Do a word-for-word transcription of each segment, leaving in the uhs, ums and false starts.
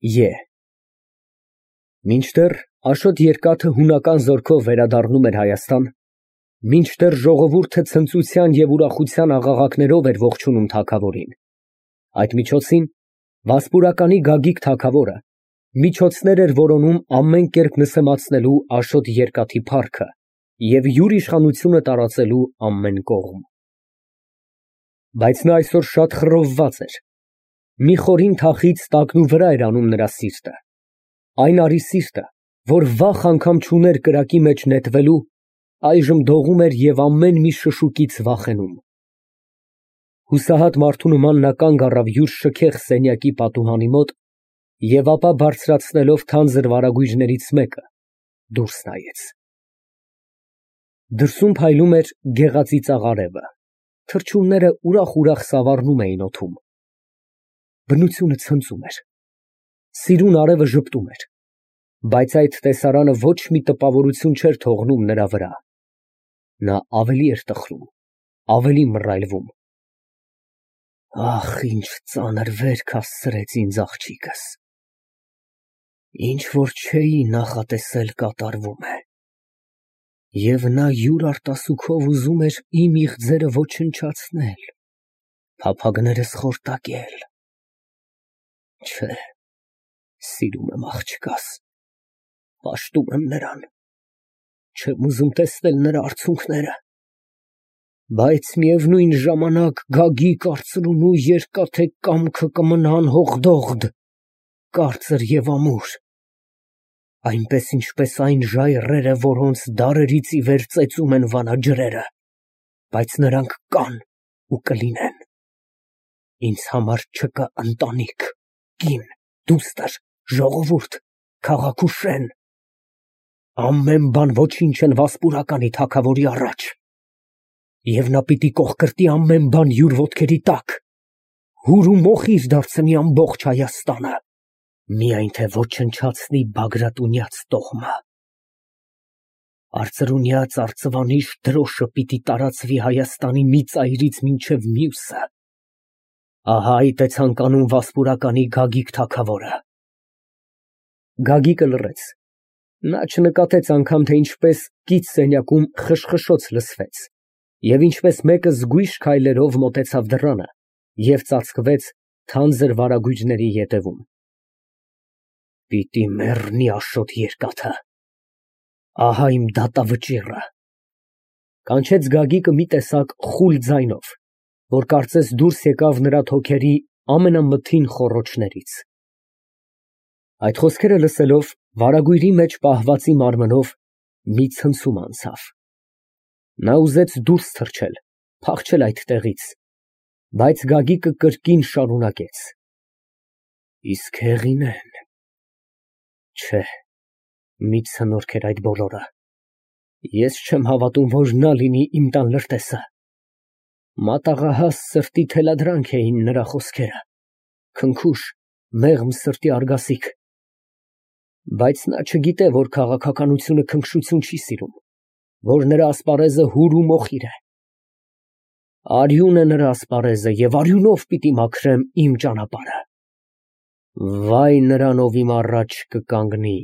Ե Մինչդեռ Աշոտ Երկաթը հունական զորքով վերադառնում էր Հայաստան, մինչդեռ ժողովուրդը ցնծության և ուրախության աղաղակներով էր ողջունում թագավորին, այդ միջոցին վասպուրականի Գագիկ թագավորը միջոցներ էր որոնում ամեն կերպ նսեմացնելու Աշոտ Երկաթի փառքը և յուր իշխանությունը տարածելու ամեն կողմ։ Բայց նա այսօր շատ խռովված էր, մի խորին թախիծ տակնուվրա էր անում նրա սիրտը, այն արի սիրտը, որ վախ անգամ չուներ կրակի մեջ նետվելու, այժմ դողում էր և ամեն մի շշուկից վախենում։ Հուսահատ մարդու նման նա կանգ առավ յուր շքեղ սենյակի պատուհանի մոտ և ապա բարձրացնելով թանձր վարագույրներից մեկը, դուրս նայեց։ Դրսում փայլում էր գեղածիծաղ արևը, թռչունները ուրախ֊ուրախ սավառնում էին օդում։ Բնությունը ցնծում էր, սիրուն արևը ժպտում էր, բայց այդ տեսարանը ոչ մի տպավորություն չէր թողնում նրա վրա։ Նա ավելի էր տխրում, ավելի մռայլվում։ Ախ, ինչ ծանր վերք հասցրեց ինձ աղջիկս, ինչ որ չէի նախատեսել կատարվում է, և նա յուր արտասուքով ուզում էր իմ իղձերը ոչնչացնել, փափագներս խորտակել։ Չէ, սիրում եմ աղջկաս, պաշտում եմ նրան, չեմ ուզում տեսնել նրա արցունքները, բայց միևնույն ժամանակ Գագիկ արծրունու երկաթե կամքը կմնա անհողդողդ, կարծր և ամուր, այնպես ինչպես այն ժայռերը, որոնց դարերից ի վեր ծեծում են վանաջրերը, բայց նրանք կան ու կլինեն։ Ինձ համար չկա ընտանիք, կին, դուստր, ժողովուրդ, քաղաք ու շեն, ամեն բան ոչինչ են վասպուրականի թագավորի առաջ, և նա պիտի կոխկրտի ամեն բան յուր ոտքերի տակ, հուր ու մոխիր դարձնի ամբողջ Հայաստանը, միայն թե ոչնչացնի Բագրատունյաց տոհմը։ Արծրունյաց արծվանիշ դրոշը պիտի տարածվի Հայաստանի մի ծայրից մինչև մյուսը։ Ահա այդ է ցանկանում վասպուրականի Գագիկ թագավորը։ Գագիկը լռեց, նա չնկատեց անգամ, թե ինչպես կից սենյակում խշխշոց լսվեց, և ինչպես մեկը զգույշ քայլերով մոտեցավ դռանը և ծածկվեց թանձր վարագույրների ետևում։ Պիտի մեռնի Աշոտ Երկաթը, ահա իմ դատավճիռը, կանչեց Գագիկը մի տեսակ խուլ ձայնով, որ կարծես դուրս եկավ նրա թոքերի ամենամթին խոռոչներից։ Այդ խոսքերը լսելով, վարագույրի մեջ պահվածի մարմնով մի ցնցում անցավ։ Նա ուզեց դուրս թռչել, փախչել այդ տեղից, բայց Գագիկը կրկին շարունակեց. Իսկ հեղինեն… Չէ, մի ցնորք էր այդ բոլորը, ես չեմ հավատում, որ նա լինի իմ տան լրտեսը։ Մատաղահաս սրտի թելադրանք էին նրա խոսքերը, քնքուշ, մեղմ սրտի արգասիք, բայց նա չգիտե, որ քաղաքականությունը քնքշություն չի սիրում, որ նրա ասպարեզը հուր ու մոխիր է։ Արյուն է նրա ասպարեզը, և արյունով պիտի մաքրեմ իմ ճանապարհը։ Վայ նրան, ով իմ առաջ կկանգնի,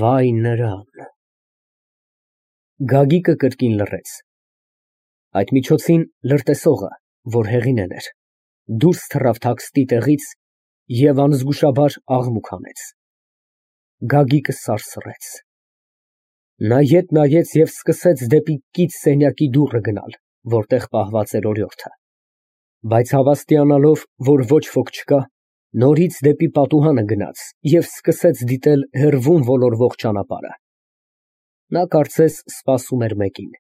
վայ նրան… Գագիկը կրկին լռեց։ Այդ միջոցին լրտեսողը, որ հեղինեն էր, դուրս թռավ թաքստի տեղից և անզգուշաբար աղմուկ հանեց։ Գագիկը սարսռեց։ Նա ետ նայեց և սկսեց դեպի կից սենյակի դուռը գնալ, որտեղ պահված էր օրիորդը, բայց հավաստիանալով, որ ոչ ոք չկա, նորից դեպի պատուհանը գնաց և սկսեց դիտել հեռվում ոլորվող ճանապարհը։ Նա կարծես սպասում էր մեկին։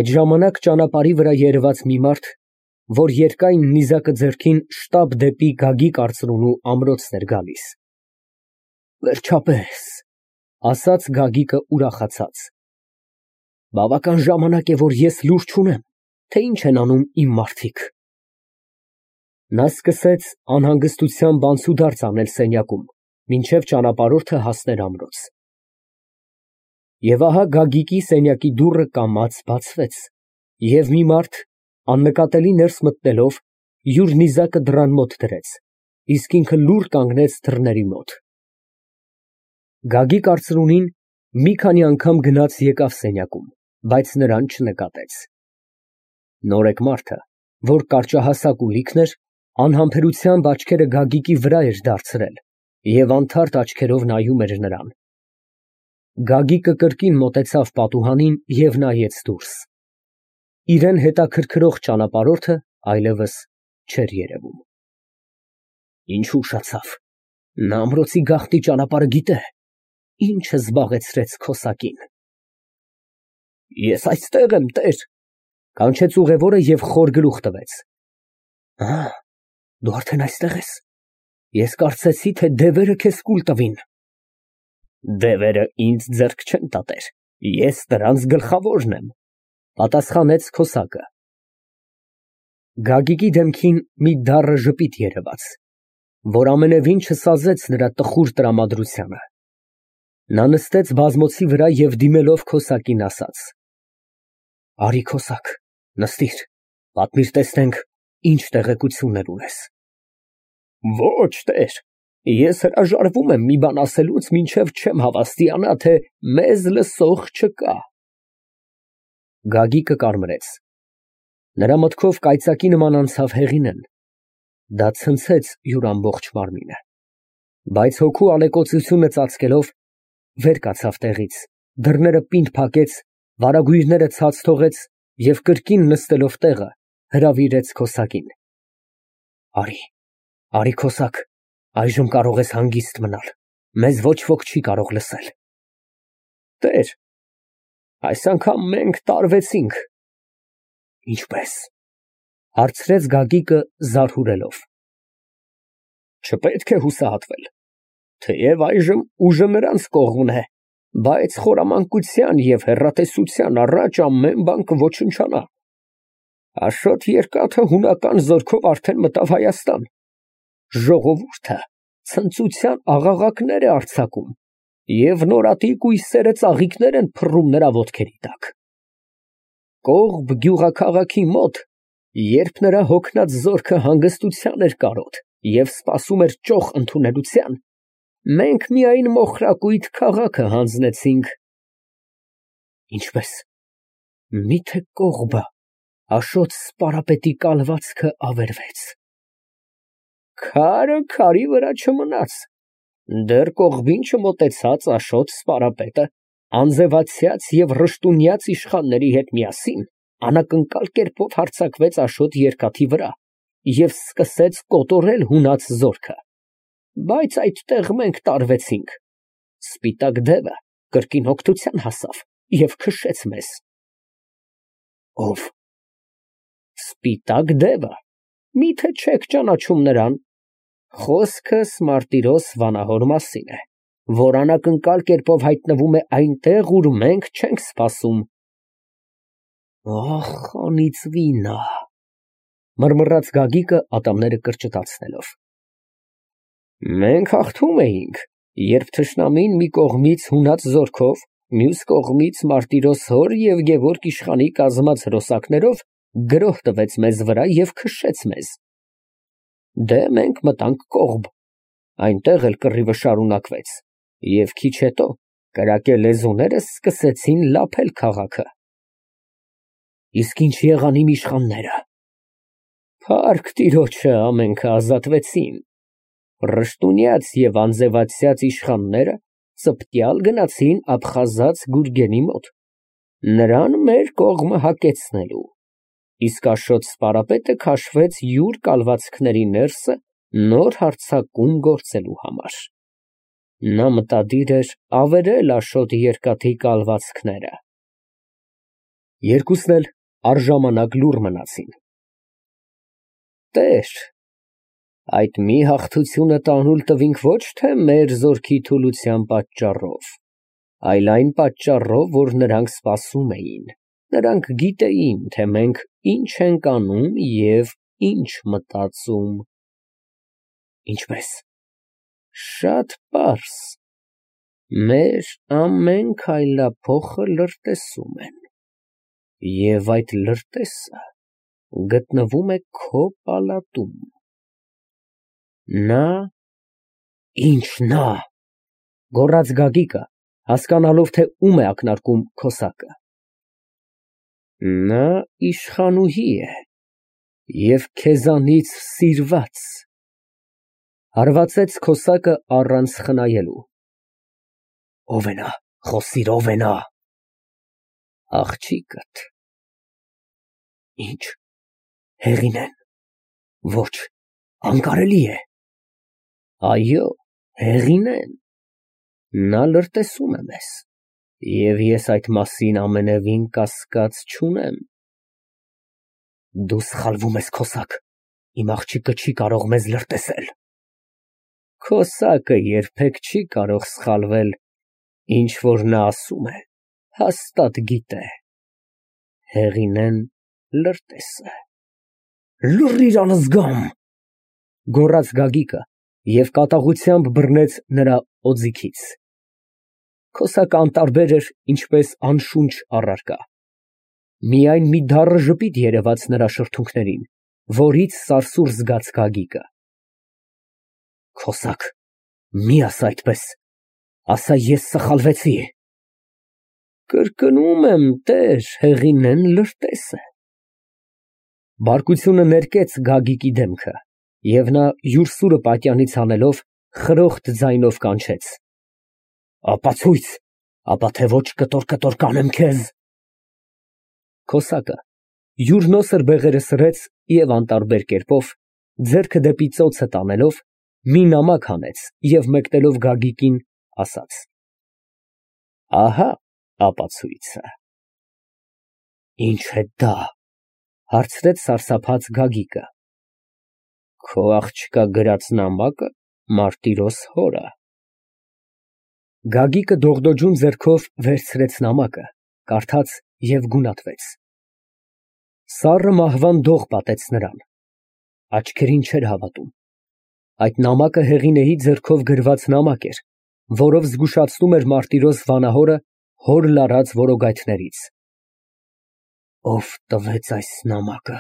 Այդ ժամանակ ճանապարհի վրա երևաց մի մարդ, որ երկայն նիզակը ձեռքին շտապ դեպի Գագիկ արծրունու ամրոցն էր գալիս։ Վերջապես, ասաց Գագիկը ուրախացած, բավական ժամանակ է, որ ես լուր չունեմ, թե ինչ են անում իմ մարդիկ։ Նա սկսեց անհանգստությամբ անցուդարձ անել սենյակում, մինչև ճանապարհորդը հասներ ամրոց։ Եվ ահա Գագիկի սենյակի դուռը կամաց բացվեց, և մի մարդ, աննկատելի ներս մտնելով, յուր նիզակը դռան մոտ դրեց իսկ ինքը լուռ կանգնեց դռների մոտ։ Գագիկ արծրունին մի քանի անգամ գնաց եկավ սենյակում, բայց նրան չնկատեց։ Նորեկ մարդը, որ կարճահասակ ու լիքն էր, անհամբերությամբ աչքերը Գագիկի վրա էր դարձրել և անթարթ աչքերով նայում էր նրան։ Գագիկը կրկին մոտեցավ պատուհանին և նայեց դուրս։ Իրան հետաքրքրող ճանապարհորդը այլևս չէր երևում։ Ինչ ուշացավ, նա ամրոցի գաղտնի ճանապարհը գիտե, ի՞նչը զբաղեցրեց քո սակին։ Ես այստեղ եմ, տեր, կանչեց ուղևորը և խոր գլուխ տվեց։ Ա, դու արդեն այստեղ ես։ Ես կարծեցի, թե դևերը քեզ կուլ տվին։ Դևերը ինձ ձեռք չեն տա, տեր, ես նրանց գլխավորն եմ, պատասխանեց քոսակը։ Գագիկի դեմքին մի դառը ժպիտ երևաց, որ ամենևին չսազեց նրա տխուր տրամադրությանը։ Նա նստեց բազմոցի վրա և դիմելով քոսակին ասաց. Արի քոսակ, նստիր, պատմիր տեսնենք, ինչ տեղեկություններ ունես։ Ոչ, տեր, ես հրաժարվում եմ մի բան ասելուց, մինչև չեմ հավաստիանա, թե մեզ լսող չկա։ Գագիկը կարմրեց։ Նրա մտքով կայծակի նման անցավ Հեղինեն։ Դա ցնցեց յուր ամբողջ մարմինը։ Բայց հոգու ալեկոծությունը ծածկելով, վեր կացավ տեղից, դռները պինդ փակեց, վարագույրները ցած թողեց և կրկին նստելով տեղը, հրավիրեց քոսակին. Արի, արի քոսակ, այժմ կարող ես հանգիստ մնալ, մեզ ոչ ոք չի կարող լսել։ Տեր, այս անգամ մենք տարվեցինք։ Ինչպե՞ս, հարցրեց Գագիկը զարհուրելով։ Չպետք է հուսահատվել, թեև այժմ ուժը նրանց կողմն է, բայց խորամանկության և հեռատեսության առաջ ամեն բան կոչնչանա։ Աշոտ Երկաթը հունական զորքով արդեն մտավ Հայաստան։ Ժողովուրդը ցնծության աղաղակներ է արձակում և նորատի կույսերը ծաղիկներ են փռում նրա ոտքերի տակ։ Կողբ գյուղաքաղաքի մոտ, երբ նրա հոգնած զորքը հանգստության էր կարոտ և սպասում էր ճոխ ընդունելության, մենք միայն մոխրակույտ քաղաքը հանձնեցինք։ Ինչպե՞ս, միթե կողբը, Աշոտ Սպարապետի կալվածքը ավերվեց։ Քարը քարի վրա չմնաց, դեռ կողբին չմոտեցած Աշոտ Սպարապետը անձևացյաց և ռշտունյաց իշխանների հետ միասին անակնկալ կերպով հարձակվեց Աշոտ Երկաթի վրա և սկսեց կոտորել հունած զորքը, բայց այդտեղ մենք տարվեցինք, սպիտակ դևը կրկին օգնության հասավ և քշեց մեզ։ Ո՞վ։ Սպիտակ դևը, միթե չեք ճանաչում նրան։ Խոսքս Մարտիրոս Վանահոր մասին է, որ անակնկալ կերպով հայտնվում է այնտեղ, ուր մենք չենք սպասում։ Ախ, անիծվի նա, մռմռաց Գագիկը ատամները կրճտացնելով։ Մենք հաղթում էինք, երբ թշնամին մի կողմից հունած զորքով, մյուս կողմից Մարտիրոս հոր և Գևորգ իշխանի կազմած հրոսակներով գրոհ տվեց մեզ վրա և քշեց մեզ։ Դե մենք մտանք կողբ, այնտեղ էլ կռիվը շարունակվեց, և քիչ հետո կրակե լեզուներս սկսեցին լափել քաղաքը։ Իսկ ինչ եղան իմ իշխանները։ Փառք տիրոջը, ամենքը ազատվեցին։ Ռշտունյաց և անձևացյաց իշխանները ծպտյալ գնացին Աբխազած Գուրգենի մոտ, նրան մեր կողմը հակեցնելու, իսկ Աշոտ Սպարապետը քաշվեց յուր կալվածքների ներսը նոր հարձակում գործելու համար։ Նա մտադիր էր ավերել Աշոտ Երկաթի կալվածքները։ Երկուսն էլ առժամանակ լուռ մնացին։ Տեր, այդ մի հաղթությունը տանուլ տվինք ոչ թե մեր զորքի թուլության պատճառով, այլ այն պատճառով, որ նրանք սպասում էին, նրանք գիտեին, թե մենք ինչ ենք անում և ինչ մտածում։ Ինչպե՞ս։ Շատ պարզ, մեր ամեն քայլափոխը լրտեսում են, և այդ լրտեսը գտնվում է քո պալատում։ Նա, ինչ նա, գոռաց Գագիկը, հասկանալով, թե ում է ակնարկում քոսակը։ Նա իշխանուհի է և քեզանից սիրված, հարվածեց քոսակը առանց խնայելու։ Ո՞վ է նա, խոսիր, ո՞վ է նա։ Աղջիկդ։ Ինչ, Հեղինեն։ Ոչ, անկարելի է։ Այո, Հեղինեն։ Նա լրտեսում է մեզ, և ես այդ մասին ամենևին կասկած չունեմ։ Դու սխալվում ես, քոսակ, իմ աղջիկը չի կարող մեզ լրտեսել։ Քոսակը երբեք չի կարող սխալվել, ինչ որ նա ասում է, հաստատ գիտե։ Հեղինեն լրտես է։ Լռիր անզգամ, գոռաց Գագիկը և կատաղությամբ բռնեց նրա օձիքից։ Քոսակը անտարբեր էր, ինչպես անշունչ առարկա։ Միայն մի դառը ժպիտ երևաց նրա շրթունքներին, որից սարսուռ զգաց Գագիկը։ Քոսակ, մի ասա այդպես, ասա ես սխալվեցի։ Կրկնում եմ, տեր, Հեղինեն լրտես է։ Բարկությունը ներկեց Գագիկի դեմքը, և նա յուր սուրը պատյանից հանելով, խրոխտ ձայնով կանչեց. Ապացույց, ապա թե ոչ կտոր֊կտոր կանեմ քեզ։ Քոսակը յուր նոսր բեղերը սրեց և անտարբեր կերպով, ձեռքը դեպի ծոցը տանելով, մի նամակ հանեց և մեկնելով Գագիկին, ասաց. Ահա ապացույցը։ Ինչ է դա, հարցրեց սարսափած Գագիկը։ Քո աղջկա գրած նամակը Մարտիրոս հորը։ Գագիկը դողդոջուն ձեռքով վերցրեց նամակը, կարդաց և գունատվեց։ Սառը մահվան դող պատեց նրան, աչքերին չէր հավատում։ Այդ նամակը Հեղինեի ձեռքով գրված նամակ էր, որով զգուշացնում էր Մարտիրոս վանահորը հոր լարած որոգայթներից։ Ո՞վ տվեց այս նամակը,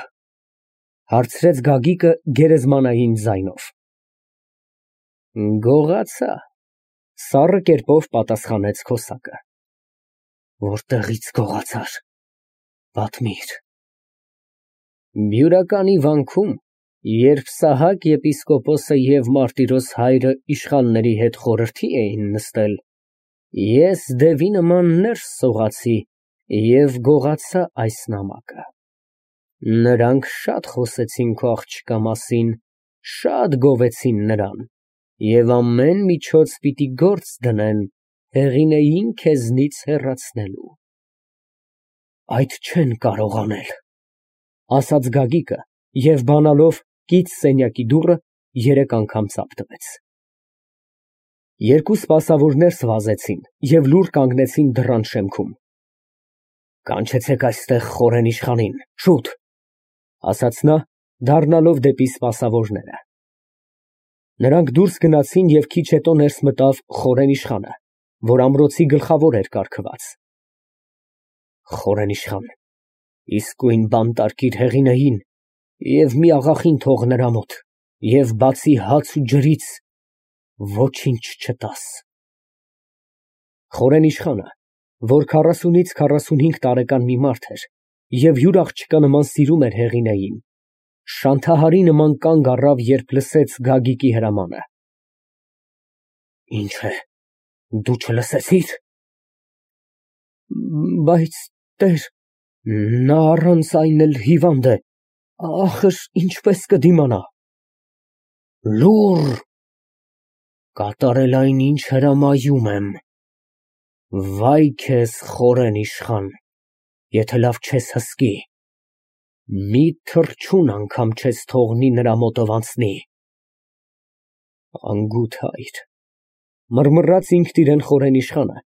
հարցրեց Գագիկը գերեզմանային ձայնով։ Գողացա, սառը կերպով պատասխանեց քոսակը։ Որտեղից գողացար, պատմիր։ Բյուրականի վանքում, երբ Սահակ եպիսկոպոսը և Մարտիրոս հայրը իշխանների հետ խորհրդի էին նստել, ես դևի նման ներս սողացի և գողացա այս նամակը։ Նրանք շատ խոսեցին քո աղջկա մասին, շատ գովեցին նրան և ամեն միջոց պիտի գործ դնեն Հեղինեին քեզնից հեռացնելու։ Այդ չեն կարող անել, ասաց Գագիկը և բանալով կից սենյակի դուռը երեք անգամ ծափ տվեց։ Երկու սպասավորներ սվազեցին և լուռ կանգնեցին դռան շեմքում։ Կանչեցեք այստեղ խորեն իշխանին, շուտ, ասաց նա, դառնալով դեպի սպասավորները։ Նրանք դուրս գնացին և քիչ հետո ներս մտավ խորեն իշխանը, որ ամրոցի գլխավոր էր կառքված։ Խորեն իշխան, իսկույն բանտարկիր Հեղինեին և մի աղախին թող նրա մոտ և բացի հաց ու ջրից ոչինչ չտաս։ Խորեն իշխանը, որ քառասունից քառասունհինգ տարեկան մի մարդ էր և յուր աղջկա նման սիրում էր Հեղինեին, շանթահարի նման կանգ առավ, երբ լսեց Գագիկի հրամանը։ Ինչ է, դու չլսեցի՞ր։ Բայց, տեր, նա առանց այն էլ հիվանդ է, ախր ինչպես կդիմանա։ Լուռ, կատարել այն, ինչ հրամայում եմ։ Վայ քեզ, խորեն իշխան, եթե լավ չես հսկի, մի թռչուն անգամ չես թողնի նրա մոտով անցնի։ Անգութ հայր, մռմռաց ինքն իրան խորեն իշխանը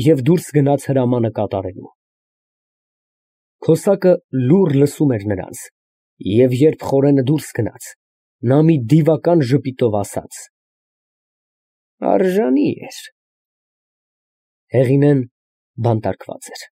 և դուրս գնաց հրամանը կատարելու։ Քոսակը լուռ լսում էր նրանց, և երբ խորենը դուրս գնաց, նա մի դիվական ժպիտով ասաց. Արժանի էր։ Հեղինեն բանտարկված էր։